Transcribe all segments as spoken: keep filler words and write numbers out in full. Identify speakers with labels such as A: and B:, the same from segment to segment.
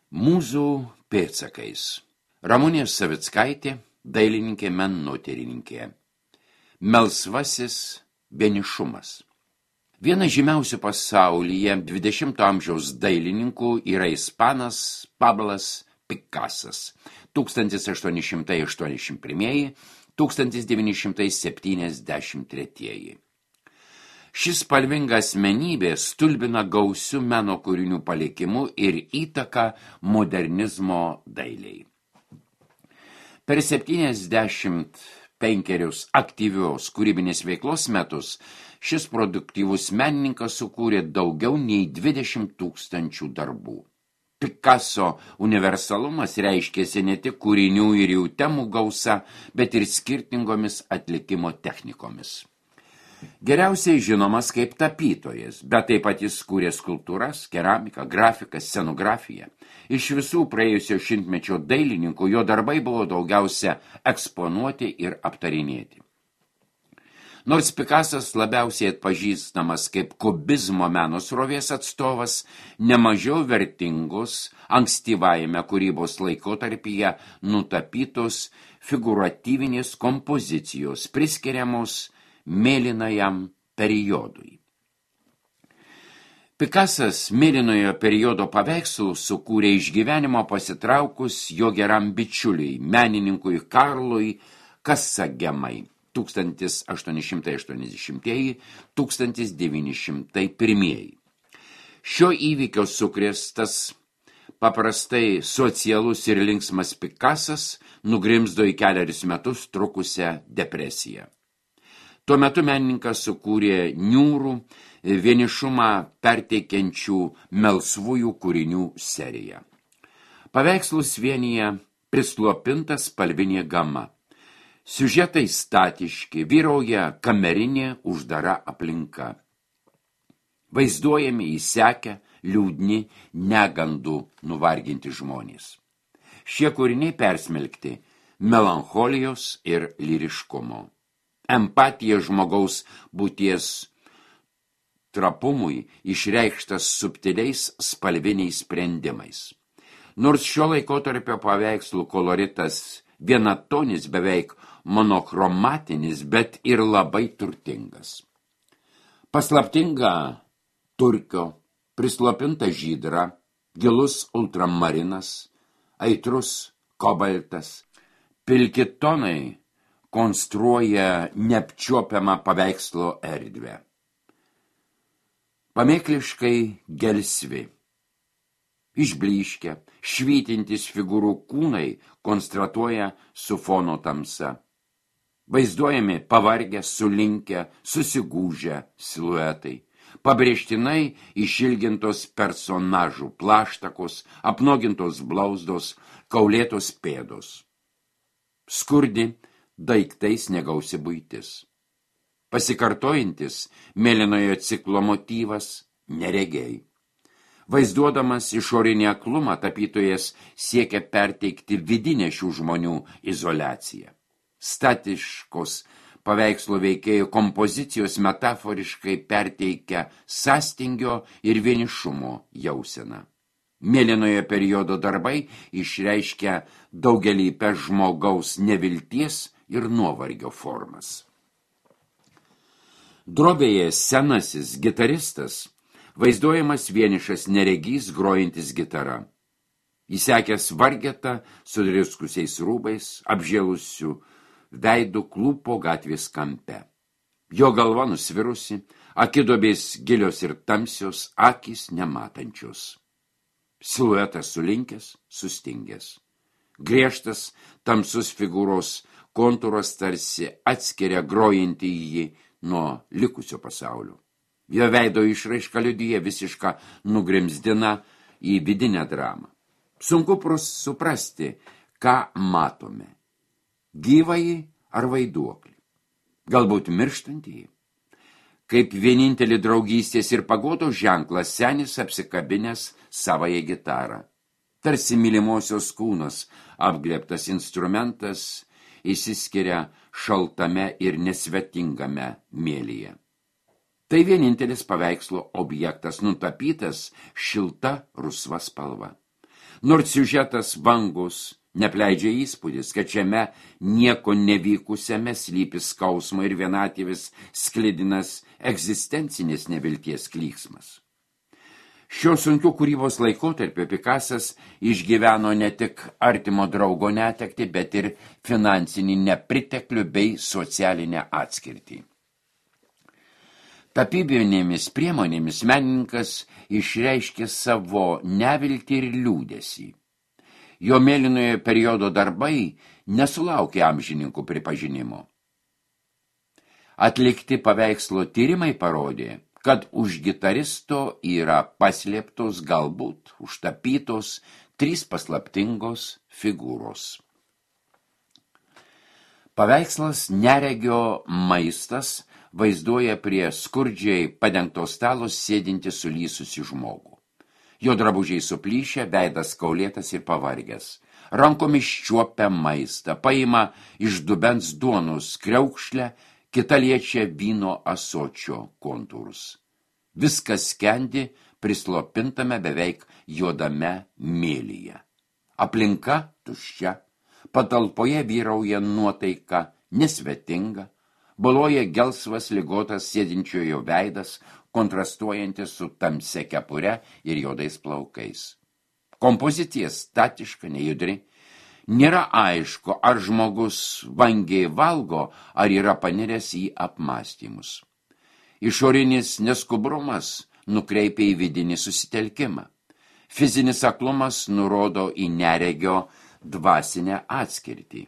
A: Mūzų pėdsakais. Ramunė Savickaitė, dailininkė menotyrininkė. Melsvasis vienišumas. Vienas žymiausių pasaulyje dvidešimto amžiaus dailininkų yra ispanas Pablas Pikasas. tūkstantis aštuoni šimtai aštuoniasdešimt pirmieji - tūkstantis devyni šimtai septyniasdešimt tretieji. Šis spalvinga asmenybė stulbina gausių meno kūrinių palikimu ir įtaka modernizmo dailiai. Per septyniasdešimt penkerius aktyvios kūrybinės veiklos metus šis produktyvus menininkas sukūrė daugiau nei dvidešimt tūkstančių darbų. Picasso universalumas reiškėsi ne tik kūrinių ir jų temų gausa, bet ir skirtingomis atlikimo technikomis. Geriausiai žinomas kaip tapytojas, bet taip pat jis kūrė skulptūras, keramiką, grafiką, scenografiją. Iš visų praėjusio šimtmečio dailininkų jo darbai buvo daugiausia eksponuoti ir aptarinėti. Nors Pikasas labiausiai atpažįstamas kaip kubizmo meno srovės atstovas, nemažiau vertingos ankstyvajame kūrybos laikotarpyje nutapytos figūratyvinės kompozicijos priskiriamos mėlynajam periodui. Pikasas mėlynojo periodo paveikslų sukūrė iš gyvenimo pasitraukus jo geram bičiuliui, menininkui Karlui Kasagemai tūkstantis aštuoni šimtai aštuoniasdešimtieji - tūkstantis devyni šimtai pirmieji. Šio įvykio sukrėstas paprastai socialus ir linksmas Pikasas nugrimzdo į kelerius metus trukusią depresiją. Tuo metu menininkas sukūrė niūrų, vienišumą perteikiančių melsvųjų kūrinių seriją. Paveikslus vienyje prislopinta spalvinė gama. Siužetai statiški, vyrauja kamerinė uždara aplinka. Vaizduojami įsekę, liūdni, negandų nuvarginti žmonės. Šie kūriniai persmelkti melancholijos ir lyriškumo. Empatija žmogaus būties trapumui išreikštas subtiliais spalviniais sprendimais. Nors šio laikotarpio paveikslų koloritas vienatonis, beveik monochromatinis, bet ir labai turtingas. Paslaptinga turkio, prislopinta žydra, gilus ultramarinas, aitrus kobaltas, pilki tonai konstruoja neapčiuopiamą paveikslo erdvę. Pamėkliškai gelsvi, išblyškę, švytintis figūrų kūnai konstratuoja su fono tamsa. Vaizduojami pavargę, sulinkę, susigūžę siluetai, pabrėžtinai išilgintos personažų plaštakos, apnogintos blauzdos, kaulėtos pėdos. Skurdi, daiktais negausi buitis. Pasikartojantis mėlynojo ciklo motyvas neregiai. Vaizduodamas išorinį aklumą, tapytojas siekia perteikti vidinę šių žmonių izoliaciją. Statiškos paveikslo veikėjų kompozicijos metaforiškai perteikia sąstingio ir vienišumo jauseną. Mėlynojo periodo darbai išreiškia daugelįpę žmogaus nevilties ir nuovargio formas. Drobėje senasis gitaristas vaizduojamas vienišas neregys grojantis gitara. Įsekęs vargetą su driskusiais rūbais, apžėlusių veidų klūpo gatvės kampe. Jo galva nusvirusi, akidobės gilios ir tamsios, akys nematančios. Siluetas sulinkęs, sustingęs. Griežtas, tamsus figūros kontūras tarsi atskiria grojantį jį nuo likusio pasaulio. Jo veido išraiška liudija visišką nugrimzdina į vidinę dramą. Sunku suprasti, ką matome. Gyvąjį ar vaiduoklį. Galbūt mirštantįjį. Kaip vienintelį draugystės ir pagodos ženklas senis apsikabinęs savąją gitarą. Tarsi mylimosios kūnas apglėbtas instrumentas išsiskiria šaltame ir nesvetingame mėlyje. Tai vienintelis paveikslo objektas nutapytas šilta rusva spalva. Nors siužetas vangus, nepleidžia įspūdis, kad šiame nieko nevykusiame slypi skausmo ir vienatvės sklidinas egzistencinės nevilties klyksmas. Šio sunkių kūrybos laikotarpio Pikasas išgyveno ne tik artimo draugo netektį, bet ir finansinį nepriteklių bei socialinę atskirtį. Tapybinėmis priemonėmis menininkas išreiškė savo neviltį ir liūdesį. Jo mėlynojo periodo darbai nesulaukė amžininkų pripažinimo. Atlikti paveikslo tyrimai parodė, kad už gitaristo yra paslėptos, galbūt užtapytos trys paslaptingos figūros. Paveikslas Neregio maistas vaizduoja prie skurdžiai padengto stalo sėdinti sulysusi žmogų. Jo drabužiai suplyšę, veidas kaulėtas ir pavargęs. Rankomis čiuopia maistą, paima iš dubens duonos kriaukšlę, kita liečia vyno ąsočio kontūrus. Viskas skendi prislopintame beveik juodame mėlyje. Aplinka tuščia, patalpoje vyrauja nuotaika nesvetinga, baloja gelsvas ligotas sėdinčiojo veidas, kontrastuojantis su tamsia kepure ir juodais plaukais. Kompozicija statiška, nejudri. Nėra aišku, ar žmogus vangiai valgo, ar yra paniręs į apmąstymus. Išorinis neskubrumas nukreipia į vidinį susitelkimą. Fizinis aklumas nurodo į neregio dvasinę atskirtį.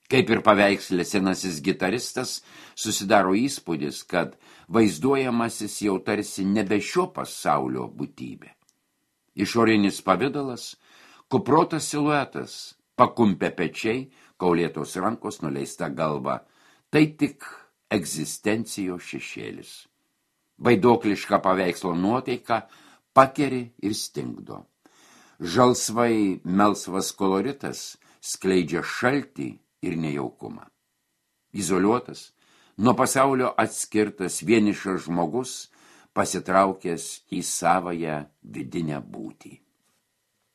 A: Kaip ir paveiksle senasis gitaristas, susidaro įspūdis, kad vaizduojamasis jau tarsi nebe šio pasaulio būtybė. Išorinis pavidalas, kuprotas siluetas, pakumpę pečiai, kaulėtos rankos, nuleista galva, tai tik egzistencijos šešėlis. Vaidokliška paveikslo nuotaika pakeri ir stingdo. Žalsvai melsvas koloritas skleidžia šaltį ir nejaukumą. Izoliuotas, nuo pasaulio atskirtas vienišas žmogus, pasitraukęs į savąją vidinę būtį.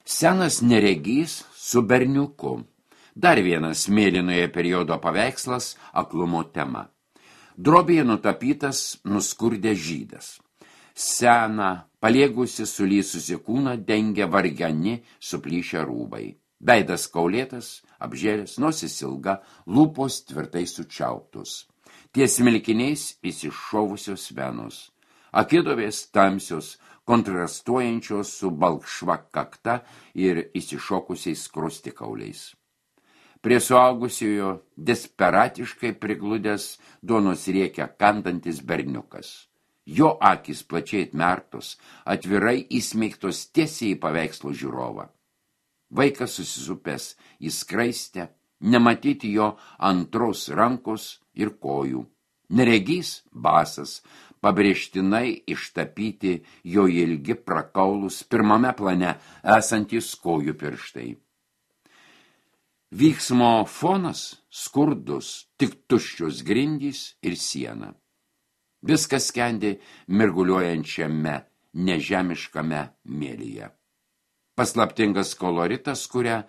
A: Senas neregys su berniuku. Dar vienas mėlynoje periodo paveikslas aklumo tema. Drobėje nutapytas nuskurdęs žydas. Seną, paliegusi sulysusi kūną dengia vargani suplyšę rūbai. Veidas kaulėtas, apžėlęs, nosis ilga, lūpos tvirtai sučiauptos. Ties smilkiniais įsišovusios venos. Akidovės tamsios, kontrastuojančios su balkšva kakta ir įsišokusiais skruostikauliais. Prie suaugusiojo desperatiškai prigludęs duonos riekia kandantis berniukas. Jo akys plačiai atmerktos, atvirai įsmeigtos tiesiai į paveikslo žiūrovą. Vaikas susisupęs į skraistę, nematyti jo antros rankos ir kojų. Neregys basas, pabrėžtinai ištapyti jo ilgi prakaulus pirmame plane esantys kojų pirštai. Vyksmo fonas skurdus, tik tuščios grindys ir siena. Viskas skendi mirguliuojančiame, nežemiškame mėlyje. Paslaptingas koloritas kuria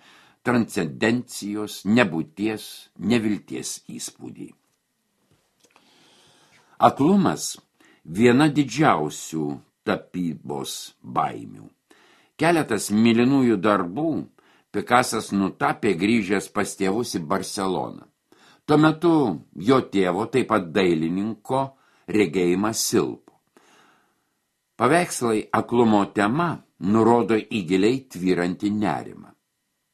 A: transcendencijos, nebūties, nevilties įspūdį. Aklumas viena didžiausių tapybos baimių. Keletas mėlynųjų darbų Pikasas nutapė grįžęs pas tėvus į Barceloną. Tuo metu jo tėvo, taip pat dailininko, regėjimas silpo. Paveikslai aklumo tema nurodo į giliai tvyrantį nerimą.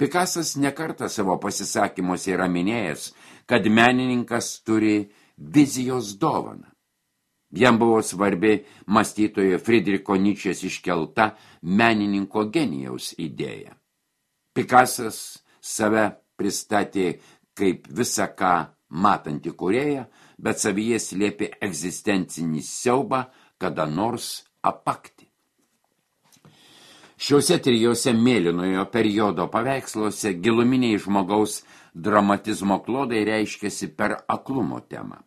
A: Pikasas nekartą savo pasisakymuose yra minėjęs, kad menininkas turi vizijos dovaną. Jam buvo svarbi mąstytojo Friedricho Nyčės iškelta menininko genijaus idėja. Pikasas save pristatė kaip visą ką matantį kūrėją, bet savyje slėpė egzistencinį siaubą kada nors apakti. Šiuose trijose mėlynojo periodo paveiksluose giluminiai žmogaus dramatizmo klodai reiškiasi per aklumo temą.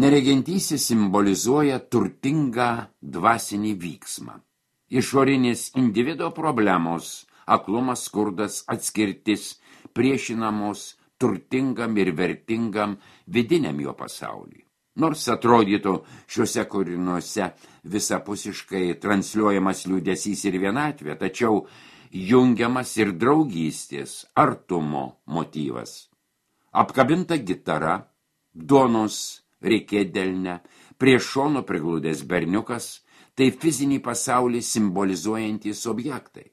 A: Neregentysis simbolizuoja turtingą dvasinį vyksmą. Išorinis individo problemos, aklumas, skurdas, atskirtis, priešinamos turtingam ir vertingam vidiniam jo pasauliui. Nors atrodytų šiuose kūriniuose visapusiškai transliuojamas liūdesys ir vienatvė, tačiau jungiamas ir draugystės, artumo motyvas. Apkabinta gitara, duonos reikėdelne, prie šono prigludęs berniukas, tai fizinį pasaulį simbolizuojantys objektai.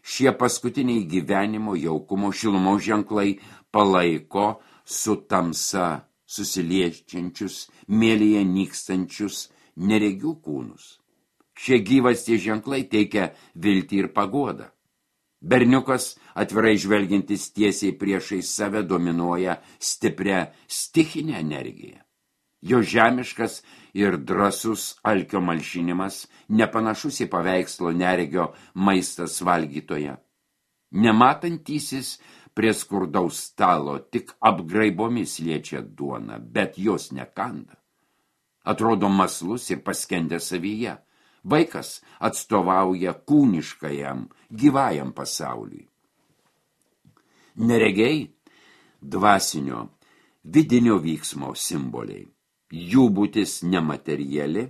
A: Šie paskutiniai gyvenimo jaukumo šilumos ženklai palaiko su tamsa susiliečiančius, mėlyje nykstančius neregių kūnus. Šie gyvasties ženklai teikia viltį ir paguodą. Berniukas, atvirai žvelgiantis tiesiai priešais save, dominuoja stiprią stichinę energiją. Jo žemiškas ir drąsus alkio malšinimas nepanašus į paveikslo neregio maistas valgytoje. Nematantysis prie skurdaus stalo tik apgraibomis liečia duoną, bet jos nekanda. Atrodo maslus ir paskendęs savyje. Vaikas atstovauja kūniškajam, gyvajam pasauliui. Neregiai dvasinio, vidinio vyksmo simboliai. Jų būtis nemateriali,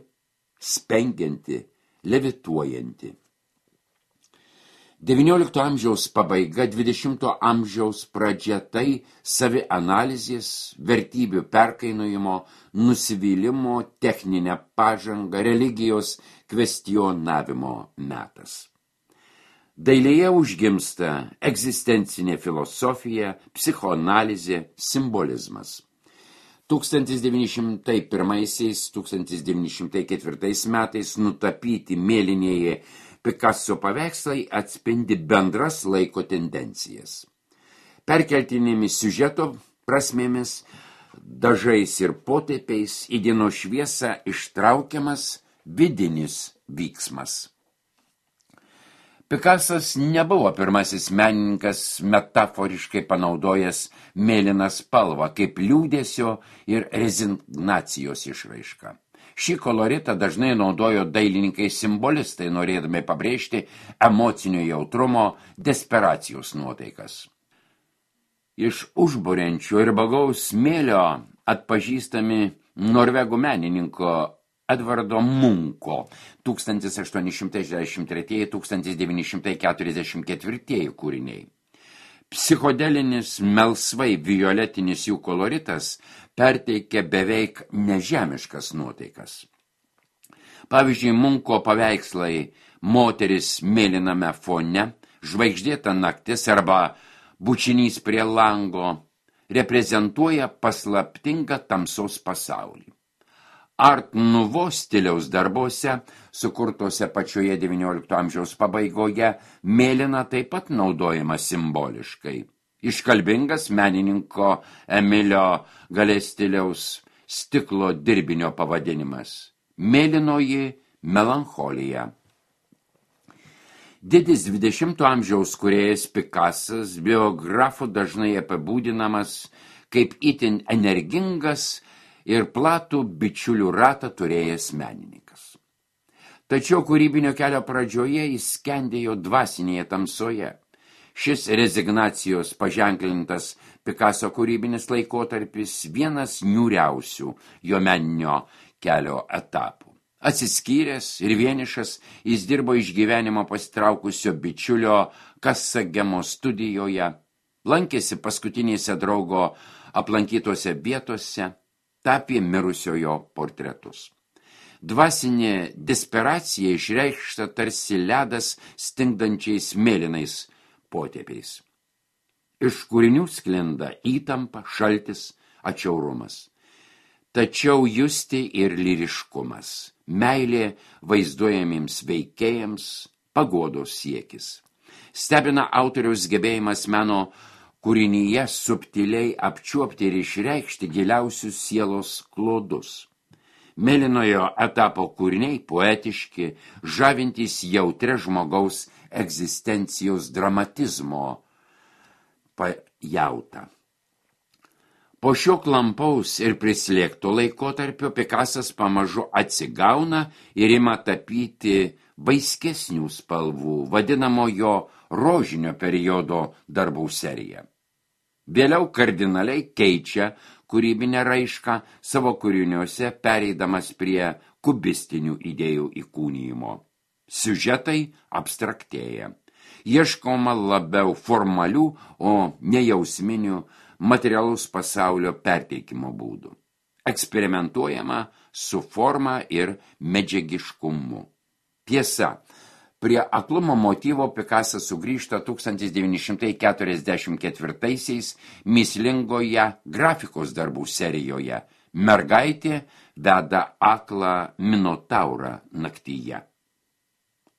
A: spengianti, levituojanti. devyniolikto amžiaus pabaiga, dvidešimto amžiaus pradžia tai savianalizės, vertybių perkainojimo, nusivylimo, techninę pažangą, religijos kvestionavimo metas. Dailėje užgimsta egzistencinė filosofija, psichoanalizė, simbolizmas. tūkstantis devyni šimtai pirmaisiais - tūkstantis devyni šimtai ketvirtais metais nutapyti mėlynieji Picasso paveikslai atspindi bendras laiko tendencijas. Perkeltinėmis siužeto prasmėmis, dažais ir potėpiais į dienos šviesą ištraukiamas vidinis vyksmas. Picassas nebuvo pirmasis menininkas metaforiškai panaudojęs mėlyną spalvą kaip liūdesio ir rezignacijos išraiška. Šį koloritą dažnai naudojo dailininkai simbolistai, norėdami pabrėžti emocinio jautrumo, desperacijos nuotaikas. Iš užburiančio ir bagaus smėlio atpažįstami norvegų menininko Edvardo Munko tūkstantis aštuoni šimtai šešiasdešimt treči - tūkstantis devyni šimtai keturiasdešimt ketvirti kūriniai. Psichodelinis melsvai violetinis jų koloritas perteikia beveik nežemiškas nuotaikas. Pavyzdžiui, Munko paveikslai Moteris mėlyname fone, Žvaigždėta naktis arba Bučinys prie lango reprezentuoja paslaptingą tamsos pasaulį. Art Nouveau stiliaus darbuose, sukurtose pačioje devyniolikto amžiaus pabaigoje, mėlyna taip pat naudojama simboliškai. Iškalbingas menininko Emilio Galestiliaus stiklo dirbinio pavadinimas – mėlynoji melancholija. Didis dvidešimto amžiaus kūrėjas Picassas biografų dažnai apibūdinamas kaip itin energingas ir platų bičiulių ratą turėjęs menininkas. Tačiau kūrybinio kelio pradžioje jis skendėjo dvasinėje tamsoje. Šis rezignacijos paženklintas Picasso kūrybinis laikotarpis vienas niūriausių jo meninio kelio etapų. Atsiskyręs ir vienišas, jis dirbo iš gyvenimo pasitraukusio bičiulio Kasagemo studijoje, lankėsi paskutinėse draugo aplankytose vietose, tapė mirusiojo portretus. Dvasinė desperacija išreikšta tarsi ledas stingdančiais mėlynais potėpiais. Iš kūrinių sklinda įtampa, šaltis, atšiaurumas. Tačiau justi ir lyriškumas, meilė vaizduojamiems veikėjams, paguodos siekis. Stebina autoriaus gebėjimas meno kūrinyje subtiliai apčiuopti ir išreikšti giliausius sielos klodus. Mėlynojo etapo kūriniai poetiški, žavintys jautre žmogaus egzistencijos dramatizmo pajautą. Po šio klampaus ir prislėgto laikotarpio Pikasas pamažu atsigauna ir ima tapyti vaiskesnių spalvų, vadinamojo rožinio periodo darbų seriją. Vėliau kardinaliai keičia kūrybinę raišką savo kūriniuose, pereidamas prie kubistinių idėjų įkūnijimo. Siužetai abstraktėja. Ieškoma labiau formalių, o nejausminių materialaus pasaulio perteikimo būdų. Eksperimentuojama su forma ir medžiagiškumu. Tiesa, prie aklumo motyvo Pikasas sugrįžta tūkstantis devyni šimtai keturiasdešimt ketvirtaisiais mįslingoje grafikos darbų serijoje Mergaitė veda aklą minotaurą naktyje.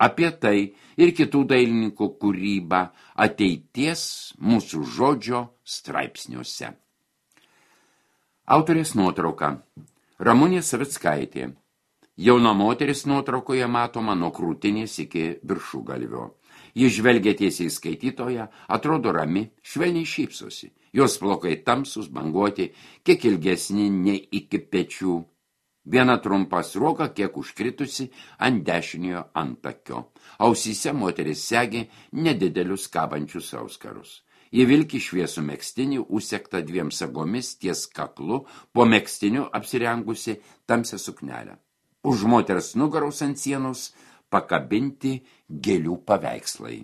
A: Apie tai ir kitų dailininkų kūrybą ateities mūsų žodžio straipsniuose. Autorės nuotrauka. Ramunė Savickaitė. Jauna moteris nuotraukoje matoma nuo krūtinės iki viršugalvio. Ji žvelgia tiesiai į skaitytoją, atrodo rami, švelniai šypsosi. Jos plaukai tamsūs, banguoti, kiek ilgesni nei iki pečių. Viena trumpa sruoga kiek užkritusi ant dešiniojo antakio. Ausyse moteris segi nedidelius kabančius auskarus. Ji vilki šviesų megztinį, užsegtą dviem sagomis ties kaklu, po megztiniu apsirengusi tamsią suknelę. Už moters nugaros ant sienos pakabinti gėlių paveikslai.